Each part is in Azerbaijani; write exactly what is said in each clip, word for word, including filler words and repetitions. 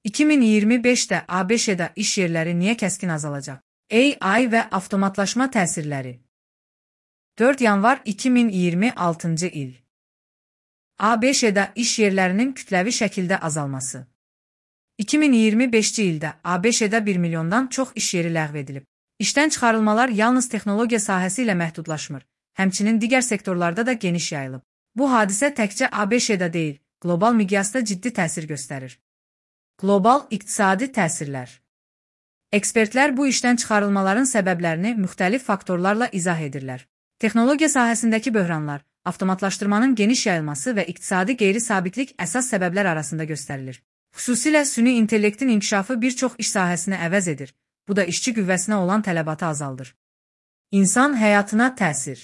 iki min iyirmi beşdə ABŞ-də iş yerləri niyə kəskin azalacaq? A I və avtomatlaşma təsirləri. dörd yanvar iki min iyirmi altıncı il. ABŞ-də iş yerlərinin kütləvi şəkildə azalması. iki min iyirmi beşinci ildə ABŞ-də bir milyondan çox iş yeri ləğv edilib. İşdən çıxarılmalar yalnız texnologiya sahəsi ilə məhdudlaşmır, həmçinin digər sektorlarda da geniş yayılıb. Bu hadisə təkcə ABŞ-də deyil, qlobal miqyasda ciddi təsir göstərir. Qlobal iqtisadi təsirlər. Ekspertlər bu işdən çıxarılmaların səbəblərini müxtəlif faktorlarla izah edirlər. Texnologiya sahəsindəki böhranlar, avtomatlaşdırmanın geniş yayılması və iqtisadi qeyri-sabitlik əsas səbəblər arasında göstərilir. Xüsusilə süni intellektin inkişafı bir çox iş sahəsini əvəz edir, bu da işçi qüvvəsinə olan tələbatı azaldır. İnsan həyatına təsir.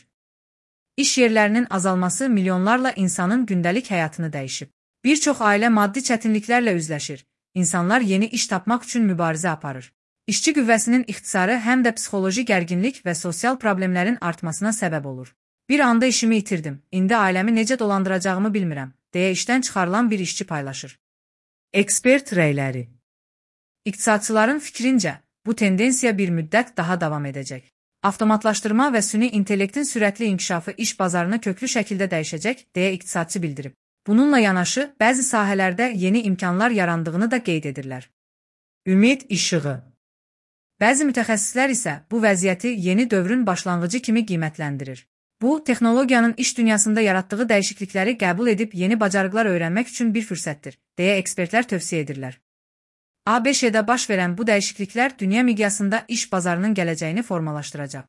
İş yerlərinin azalması milyonlarla insanın gündəlik həyatını dəyişib. Bir çox ailə maddi çətinliklərlə üzləşir, insanlar yeni iş tapmaq üçün mübarizə aparır. İşçi qüvvəsinin ixtisarı həm də psixoloji gərginlik və sosial problemlərin artmasına səbəb olur. Bir anda işimi itirdim, indi ailəmi necə dolandıracağımı bilmirəm, deyə işdən çıxarılan bir işçi paylaşır. Ekspert rəyləri. İqtisadçıların fikrincə, bu tendensiya bir müddət daha davam edəcək. Avtomatlaşdırma və süni intellektin sürətli inkişafı iş bazarını köklü şəkildə dəyişəcək, deyə iqtisadçı bildirib. Bununla yanaşı, bəzi sahələrdə yeni imkanlar yarandığını da qeyd edirlər. Ümid işığı. Bəzi mütəxəssislər isə bu vəziyyəti yeni dövrün başlanğıcı kimi qiymətləndirir. Bu, texnologiyanın iş dünyasında yaratdığı dəyişiklikləri qəbul edib yeni bacarıqlar öyrənmək üçün bir fürsətdir, deyə ekspertlər tövsiyə edirlər. ABŞ-də baş verən bu dəyişikliklər dünya miqyasında iş bazarının gələcəyini formalaşdıracaq.